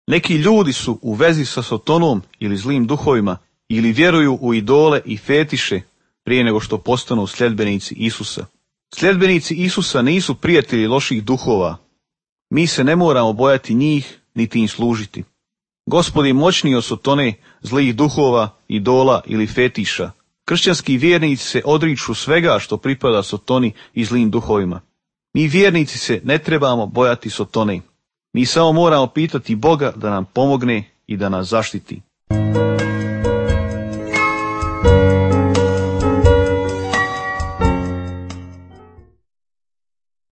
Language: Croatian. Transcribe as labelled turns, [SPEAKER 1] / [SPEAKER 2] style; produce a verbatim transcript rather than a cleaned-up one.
[SPEAKER 1] Neki ljudi su u vezi sa Sotonom ili zlim duhovima ili vjeruju u idole i fetiše prije nego što postanu sljedbenici Isusa. Sljedbenici Isusa nisu prijatelji loših duhova. Mi se ne moramo bojati njih niti im služiti. Gospod je moćniji od Sotone, zlih duhova, idola ili fetiša. Kršćanski vjernici se odriču svega što pripada Sotoni i zlim duhovima. Mi vjernici se ne trebamo bojati Sotone. Mi samo moramo pitati Boga da nam pomogne i da nas zaštiti.